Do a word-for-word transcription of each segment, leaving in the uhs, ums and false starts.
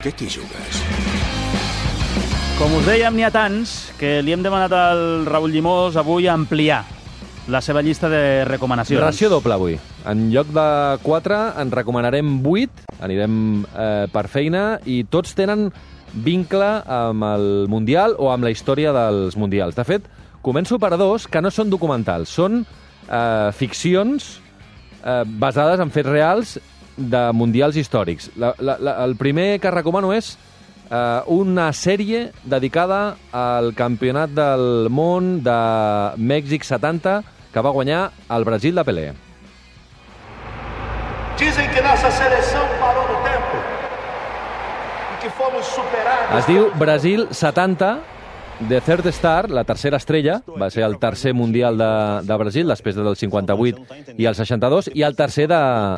Què t'hi jugues? Com us dèiem, n'hi ha tants que li hem demanat al Raül Llimós avui ampliar la seva llista de recomanacions. Ració doble avui. En lloc de quatre en recomanarem vuit, anirem eh, per feina, i tots tenen vincle amb el Mundial o amb la història dels Mundials. De fet, començo per dos que no són documentals, són eh, ficcions eh, basades en fets reals de mundials històrics. La, la, la, el primer que recomano és uh, una sèrie dedicada al campionat del món de Mèxic setanta que va guanyar el Brasil de Pelé. Dizem que nossa seleção parou no tempo e que fomos superados. Es diu Brasil setanta, The Third Star, la tercera estrella, va ser el tercer mundial de, de Brasil, després del cinquanta-vuit i el seixanta-dos, i el tercer de,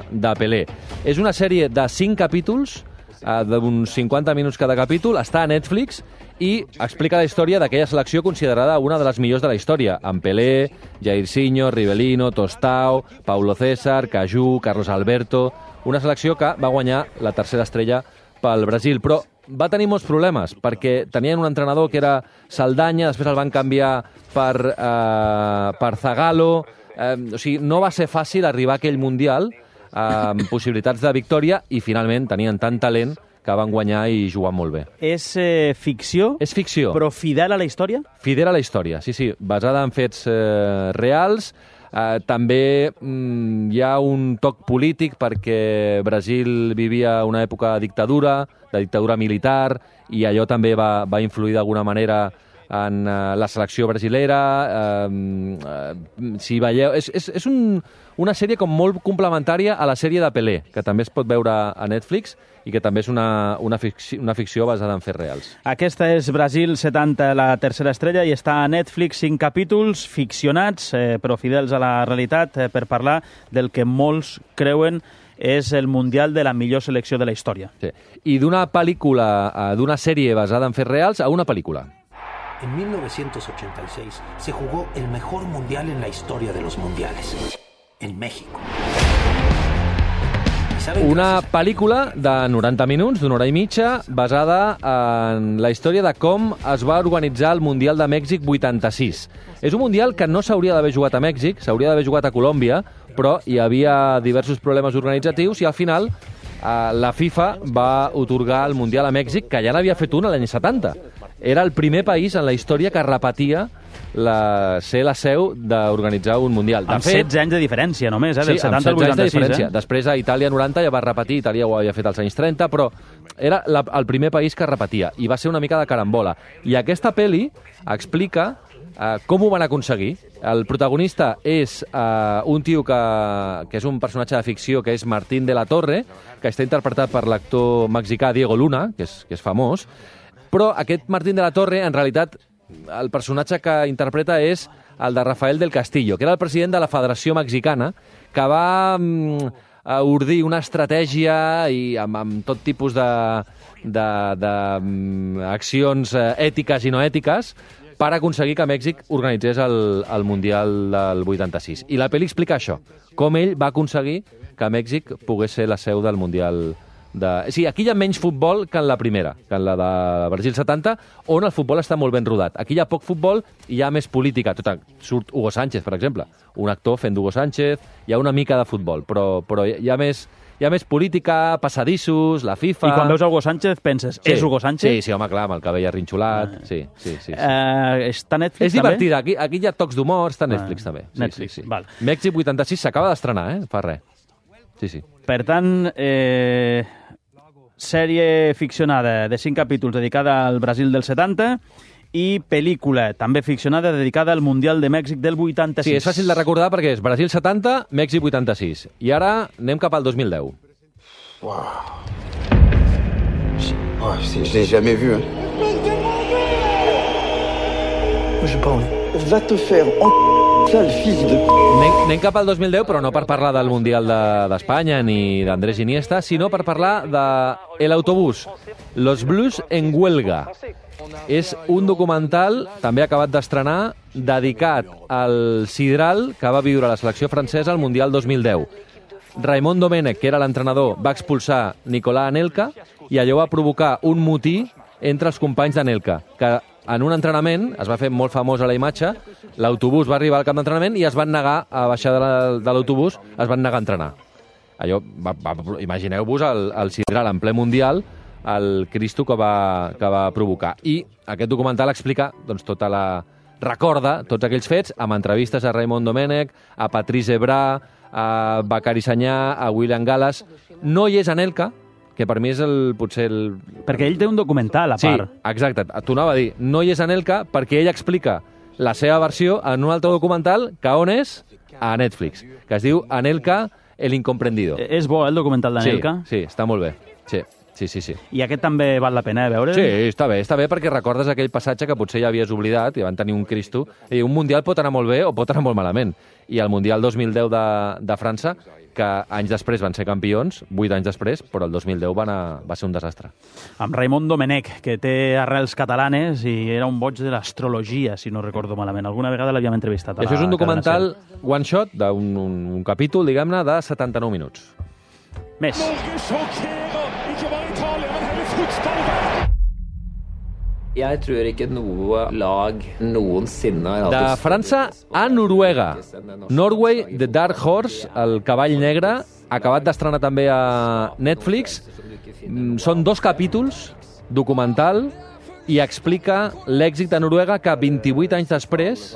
de Pelé. És una sèrie de cinc capítols, eh, d'uns cinquanta minuts cada capítol, està a Netflix i explica la història d'aquella selecció considerada una de les millors de la història, amb Pelé, Jairzinho, Rivelino, Tostao, Paulo César, Cajú, Carlos Alberto... Una selecció que va guanyar la tercera estrella pel Brasil, però va tenir molts problemes, perquè tenien un entrenador que era Saldaña, després el van canviar per, eh, per Zagallo, eh, o sigui, no va ser fàcil arribar a aquell Mundial eh, amb possibilitats de victòria, i finalment tenien tant talent que van guanyar i jugar molt bé. És eh, ficció? És ficció. Però fidel a la història? Fidel a la història, sí, sí, basada en fets eh, reals. Uh, també mm, hi ha un toc polític perquè Brasil vivia una època de dictadura, de dictadura militar, i allò també va, va influir d'alguna manera en uh, la selecció brasilera. Uh, uh, si veieu, és, és, és un, una sèrie com molt complementària a la sèrie de Pelé, que també es pot veure a Netflix i que també és una, una, ficció, una ficció basada en fets reals. Aquesta és Brasil setanta, la tercera estrella, i està a Netflix, cinc capítols ficcionats, eh, però fidels a la realitat, eh, per parlar del que molts creuen és el Mundial de la millor selecció de la història. Sí. I d'una pel·lícula, d'una sèrie basada en fets reals, a una pel·lícula. En mil novecientos ochenta y seis se jugó el mejor mundial en la historia de los mundiales, en México. Una pel·lícula de noranta minuts, d'una hora i mitja, basada en la història de com es va organitzar el Mundial de Mèxic vuitanta-sis. És un Mundial que no s'hauria d'haver jugat a Mèxic, s'hauria d'haver jugat a Colòmbia, però hi havia diversos problemes organitzatius i al final eh, la FIFA va otorgar el Mundial a Mèxic, que ja n'havia fet un l'any setanta. Era el primer país en la història que repetia la, ser la seu d'organitzar un Mundial. De amb fet, setze anys de diferència només, eh? Del sí, setanta al vuitanta-sis. De eh? Després a Itàlia noranta ja va repetir, Itàlia ho havia fet als anys trenta, però era la, el primer país que repetia, i va ser una mica de carambola. I aquesta pel·li explica eh, com ho van aconseguir. El protagonista és eh, un tio que, que és un personatge de ficció, que és Martín de la Torre, que està interpretat per l'actor mexicà Diego Luna, que és, que és famós, però aquest Martín de la Torre, en realitat, el personatge que interpreta és el de Rafael del Castillo, que era el president de la Federació Mexicana, que va mm, ordir una estratègia i amb, amb tot tipus d'accions ètiques i no ètiques per aconseguir que Mèxic organitzés el, el Mundial del vuitanta-sis. I la pel·li explica això, com ell va aconseguir que Mèxic pogués ser la seu del Mundial de... Sí, aquí hi ha menys futbol que en la primera, que en la de Brasil setanta, on el futbol està molt ben rodat. Aquí hi ha poc futbol i hi ha més política. Tot, surt Hugo Sánchez, per exemple, un actor fent d'Hugo Sánchez, hi ha una mica de futbol, però, però hi ha més... Hi ha més política, passadissos, la FIFA... I quan veus Hugo Sánchez penses, sí, és Hugo Sánchez? Sí, sí, home, clar, amb el cabell arrinxolat, ah. sí, sí, sí. sí. Uh, està a Netflix, és divertida, aquí, aquí hi ha tocs d'humor, està a Netflix, ah, també. Sí, Netflix, sí, sí. Val. Mèxic vuitanta-sis s'acaba d'estrenar, eh? Fa res. Sí, sí. Per tant, eh, sèrie ficcionada de cinc capítols dedicada al Brasil del setanta i pel·lícula també ficcionada dedicada al Mundial de Mèxic del vuitanta-sis. Sí, és fàcil de recordar perquè és Brasil setanta, Mèxic vuitanta-sis. I ara anem cap al dos mil deu. Wow. Oh, je l'ai jamais vu. Hein. J'ai pas envie. Va te faire en sale fils de... Anem, anem cap al dos mil deu, però no per parlar del Mundial d'Espanya de, ni d'Andrés Iniesta, sinó per parlar de El Autobús, Los Blues en Huelga. És un documental, també acabat d'estrenar, dedicat al sidral que va viure la selecció francesa al Mundial dos mil deu. Raimon Domènech, que era l'entrenador, va expulsar Nicolà Anelka i allò va provocar un motí entre els companys d'Anelka, que en un entrenament, es va fer molt famosa la imatge, l'autobús va arribar al camp d'entrenament i es van negar a baixar de, la, de l'autobús, es van negar a entrenar. Allò, va, va, imagineu-vos el, el sidral en ple mundial, el Cristo que va, que va provocar. I aquest documental explica doncs, tota la... recorda tots aquells fets amb entrevistes a Raimon Domènech, a Patrice Evra, a Bakary Sagna, a William Gallas. No hi és Anelka, que per mi és el, potser el... Perquè ell té un documental a part. Sí, exacte. T'ho anava a dir. No hi és Anelka perquè ell explica la seva versió en un altre documental que on és? A Netflix, que es diu Anelka, el incomprendido. És bo, eh, el documental d'Anelka? Sí, sí, està molt bé. Sí. Sí, sí, sí. I aquest també val la pena, eh, veure? Sí, està bé, està bé perquè recordes aquell passatge que potser ja havies oblidat i van tenir un Cristo. I un Mundial pot anar molt bé o pot anar molt malament. I el Mundial dos mil deu de, de França, que anys després van ser campions, vuit anys després, però el dos mil deu va, anar, va ser un desastre. Amb Raimon Domènech, que té arrels catalanes i era un boig de l'astrologia, si no recordo malament. Alguna vegada l'havíem entrevistat a la Això és un documental cadena one shot, d'un un, un capítol, diguem-ne, de setanta-nou minuts. Més. Jeg tror ikke noe lag noensinne... De França a Noruega. Norway, The Dark Horse, el cavall negre, acabat d'estrenar també a Netflix. Són dos capítols, documental, i explica l'èxit de Noruega que vint-i-vuit anys després,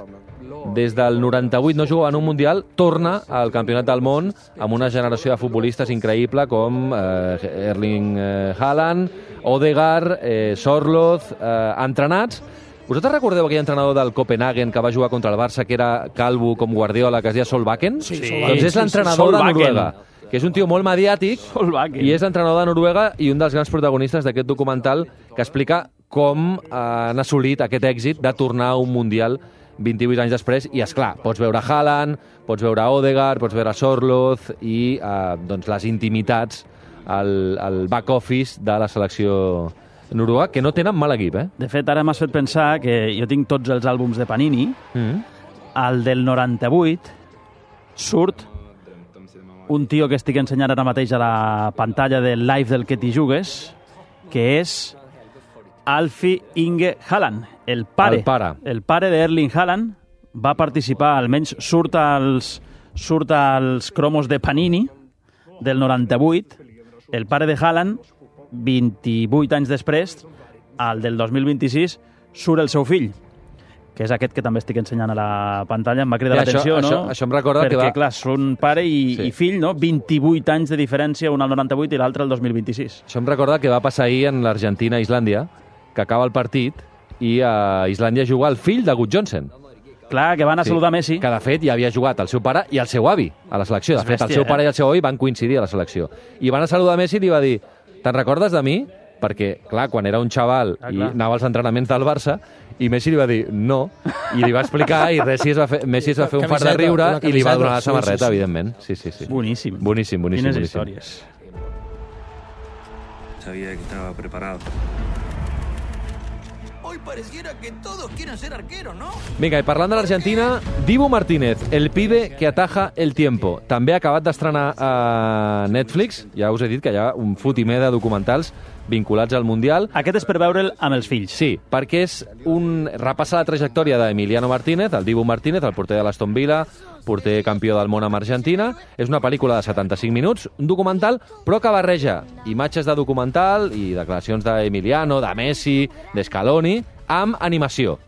des del noranta-vuit no jugava en un Mundial, torna al Campionat del Món amb una generació de futbolistes increïble com eh, Erling eh, Haaland, Odegaard, eh, Sorloth, eh, entrenats. Vosaltres recordeu aquell entrenador del Copenhagen que va jugar contra el Barça, que era calvo com Guardiola, que es deia Solbakken? Sí, sí. Doncs és l'entrenador de Noruega, que és un tio molt mediàtic, Solbakken. i és l'entrenador de Noruega i un dels grans protagonistes d'aquest documental que explica com eh, han assolit aquest èxit de tornar a un Mundial vint-i-vuit anys després, i és clar, pots veure Haaland, pots veure Odegaard, pots veure Sorloth i eh, doncs les intimitats al, al back office de la selecció noruega, que no tenen mal equip, eh? De fet, ara m'has fet pensar que jo tinc tots els àlbums de Panini. Mm. El del noranta-vuit surt un tio que estic ensenyant ara mateix a la pantalla del live del que t'hi jugues, que és Alfie Inge Haaland, el pare. El pare. El pare d'Erling Haaland va participar, almenys surt als, surt als cromos de Panini del noranta-vuit. El pare de Haaland, vint-i-vuit anys després, al del dos mil vint-i-sis, surt el seu fill, que és aquest que també estic ensenyant a la pantalla. Em va cridar ja, l'atenció, això, no? Això, això em recorda Perquè, que va... clar, són pare i, sí. i fill, no? vint-i-vuit anys de diferència, un al noranta-vuit i l'altre al dos mil vint-i-sis. Això em recorda que va passar ahir en l'Argentina-Islàndia, que acaba el partit, i a Islàndia juga el fill de Gut Johnsen. Clar, que van a Sí, saludar Messi. que de fet ja havia jugat el seu pare i el seu avi a la selecció. De És fet, el bèstia, seu eh? pare i el seu avi van coincidir a la selecció. I van a saludar Messi i li va dir: te'n recordes de mi? Perquè, clar, quan era un xaval Ah, i clar. anava als entrenaments del Barça, i Messi li va dir no, i li va explicar, i Messi es va fer, Messi es va fer un fart de Camiseta, riure una i li va donar la camiseta, samarreta, sí, sí, sí. evidentment. Sí, sí, sí. Boníssim. Boníssim, boníssim. Quines boníssim. històries. Sabía que estaba preparado. Hoy pareciera que todos quieren ser arqueros, ¿no? Vinga, i parlant de l'Argentina, Dibu Martínez, el pibe que ataja el tiempo. També ha acabat d'estrenar a Netflix. Ja us he dit que hi ha un fotimer de documentals vinculats al Mundial. Aquest és per veure'l amb els fills. Sí, perquè és un... repassa la trajectòria d'Emiliano Martínez, el Dibu Martínez, el porter de l'Aston Villa, porter campió del món amb Argentina. És una pel·lícula de setanta-cinc minuts, un documental, però que barreja imatges de documental i declaracions d'Emiliano, de Messi, d'Scaloni, amb animació.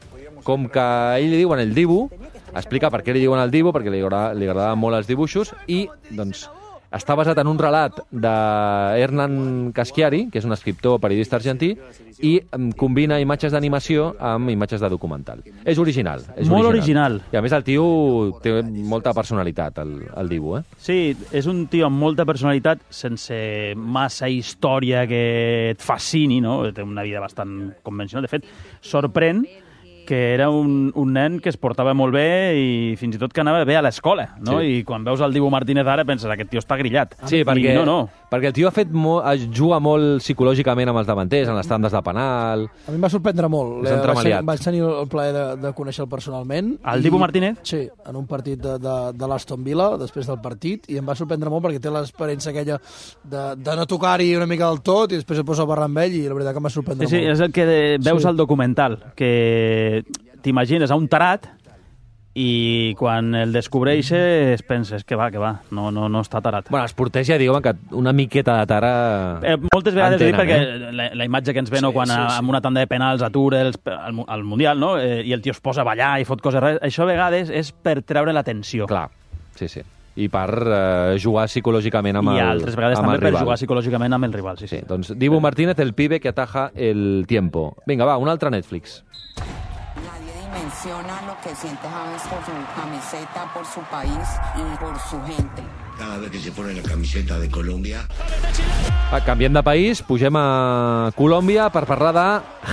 Com que a ell li diuen el Dibu, explica per què li diuen el Dibu, perquè li, agrada, li agradaven molt els dibuixos, i doncs està basat en un relat d'Hernan Caschiari, que és un escriptor periodista argentí, i combina imatges d'animació amb imatges de documental. És original. És Molt original. original. I a més el tio té molta personalitat, el, el Dibu, eh? Sí, és un tio amb molta personalitat, sense massa història que et fascini, no? Té una vida bastant convencional. De fet, sorprèn que era un, un nen que es portava molt bé i fins i tot que anava bé a l'escola, no? Sí. I quan veus el Dibu Martínez ara penses, aquest tio està grillat. Sí, perquè, I no, no. perquè el tio ha fet molt, juga molt psicològicament amb els davanters, en les tandes de penal. A mi em va sorprendre molt. És Eh, vaig, entremaliat. tenir, vaig tenir el plaer de, de conèixer-lo personalment. El Dibu Martínez? Sí, en un partit de, de, de l'Aston Villa, després del partit, i em va sorprendre molt perquè té l'experiència aquella de, de no tocar-hi una mica del tot i després es posa a parlar amb ell i la veritat que em va sorprendre Sí, sí, molt. és el que veus Sí. al documental, que t'imagines a un tarat i quan el descobreixes penses que va, que va, no, no, no està tarat. Bueno, els porters ja diuen que una miqueta de tara... Eh, moltes vegades entenen, dic perquè eh? la, la imatge que ens ve, no, Sí, quan sí, a, sí. amb una tanda de penals atura els, al, mu- al Mundial, no? Eh, i el tio es posa a ballar i fot coses rares, això a vegades és per treure l'atenció. Clar, sí, sí. I per eh, jugar psicològicament amb el I altres vegades amb també el per rival. jugar psicològicament amb el rival, sí, sí. Sí, doncs Dibu Martínez, el pibe que ataja el tiempo. Vinga, va, un altre Netflix. Nadie dimensiona lo que siente James por su camiseta, por su país y por su gente. Cada vez que se pone la camiseta de Colombia. Va, canviem de país, pugem a Colòmbia per parlar de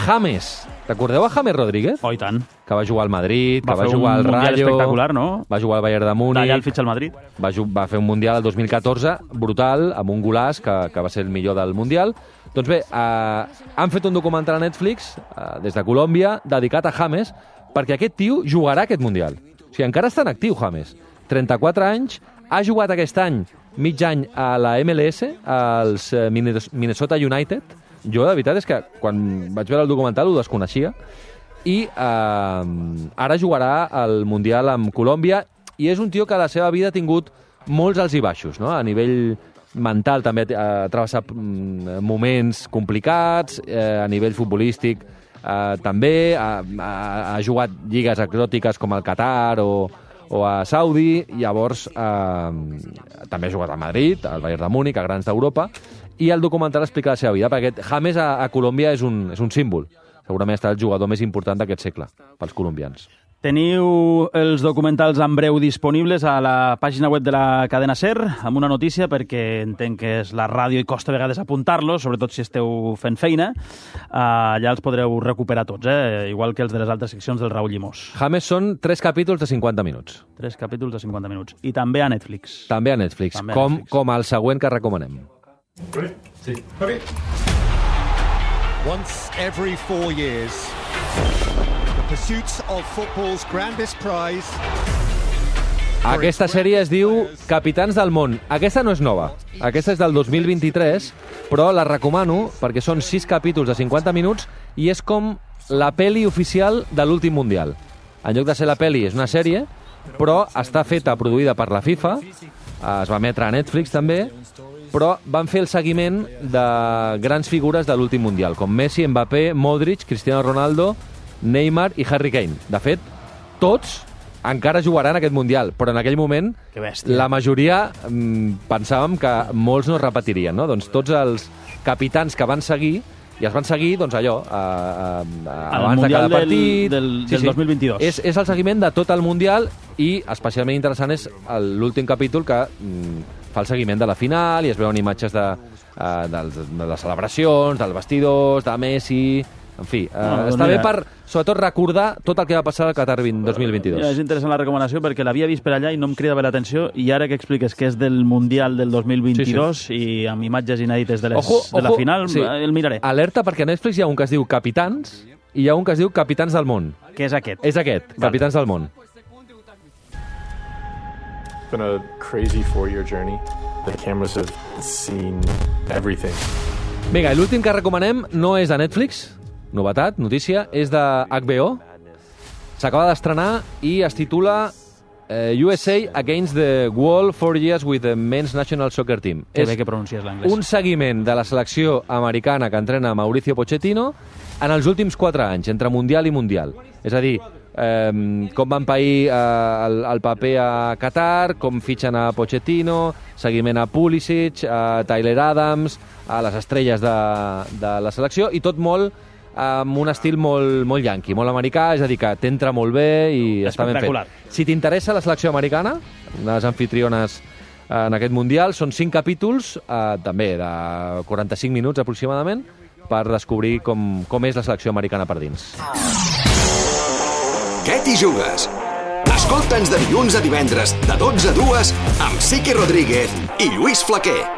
James. Recordeu a James Rodríguez? Oh, i tant. Que va jugar al Madrid, Va que va fer un jugar al Mundial Rayo... espectacular, no? Va jugar al Bayern de Múnich... D'allà el fitxa al Madrid. Va, ju- va fer un Mundial el dos mil catorze, brutal, amb un golaç que, que va ser el millor del Mundial. Doncs bé, eh, han fet un documental a Netflix, eh, des de Colòmbia, dedicat a James, perquè aquest tio jugarà aquest Mundial. O sigui, encara està en actiu, James. trenta-quatre anys, ha jugat aquest any mig any a la M L S, als eh, Minnes- Minnesota United. Jo, de veritat, és que quan vaig veure el documental ho desconeixia. I eh, ara jugarà al Mundial amb Colòmbia i és un tio que a la seva vida ha tingut molts alts i baixos, no? A nivell mental també ha travessat mm, moments complicats, eh, a nivell futbolístic eh, també, ha, ha, ha jugat lligues exòtiques com el Qatar o, o a Saudi, llavors eh, també ha jugat a Madrid, al Bayern de Múnich, a grans d'Europa, i el documental explica la seva vida, perquè aquest James a, a Colòmbia és un, és un símbol. Segurament està el jugador més important d'aquest segle, pels colombians. Teniu els documentals en breu disponibles a la pàgina web de la cadena SER, amb una notícia, perquè entenc que és la ràdio i costa a vegades apuntar-los, sobretot si esteu fent feina. Uh, allà els podreu recuperar tots, eh? Igual que els de les altres seccions del Raúl Llimós. James són tres capítols de cinquanta minuts. Tres capítols de cinquanta minuts. I també a Netflix. També a Netflix, També a com, Netflix. com el següent que recomanem. Sí. Okay. Once every four years, the pursuits of football's grandest prize. Aquesta sèrie es diu Capitans del món. Aquesta no és nova. Aquesta és del dos mil vint-i-tres, però la recomano perquè són sis capítols de cinquanta minuts i és com la peli oficial de l'últim Mundial. En lloc de ser la peli, és una sèrie, però està feta, produïda per la FIFA, es va emetre a Netflix també, però van fer el seguiment de grans figures de l'últim Mundial, com Messi, Mbappé, Modric, Cristiano Ronaldo, Neymar i Harry Kane. De fet, tots encara jugaran aquest Mundial, però en aquell moment Que bèstia. la majoria mm, pensàvem que molts no es repetirien, no? Doncs tots els capitans que van seguir, i es van seguir, doncs allò, a, a, a, abans de Mundial cada del- partit... del- del dos mil vint-i-dos. És, és el seguiment de tot el Mundial i especialment interessant és el- l'últim capítol que mm, fa el seguiment de la final i es veuen imatges de, uh, de, de les celebracions, dels vestidors, de Messi... En fi, uh, No, doncs està mira. bé per, sobretot, recordar tot el que va passar al Qatar dos mil vint-i-dos. Ja, és interessant la recomanació perquè l'havia vist per allà i no em crida bé l'atenció i ara que expliques que és del Mundial del dos mil vint-i-dos sí, sí. i amb imatges inèdites de, les, Ojo, de la ojo, final, sí. el miraré. Alerta perquè a Netflix hi ha un que es diu Capitans i hi ha un que es diu Capitans del món. Què és aquest? És aquest, Vale. Capitans del món. It's been a crazy four-year journey. The cameras have seen everything. Vinga, i l'últim que recomanem no és de Netflix, novetat, notícia, és de H B O. S'acaba d'estrenar i es titula eh, U S A Against the Wall, Four Years with the Men's National Soccer Team. Que És bé que pronuncies l'anglès. un seguiment de la selecció americana que entrena Mauricio Pochettino en els últims quatre anys, entre Mundial i Mundial. És a dir, eh, com van pair eh, el, el paper a Qatar, com fitxen a Pochettino, seguiment a Pulisic, a Tyler Adams, a les estrelles de, de la selecció, i tot molt amb un estil molt, molt yanqui, molt americà, és a dir, que t'entra molt bé i està ben Espectacular. fet. Si t'interessa la selecció americana, les anfitriones en aquest Mundial, són cinc capítols, eh, també de quaranta-cinc minuts aproximadament, per descobrir com, com és la selecció americana per dins. Què t'hi jugues? Escolta'ns de dilluns a divendres, de dotze a dues, amb Siqui Rodríguez i Lluís Flaquer.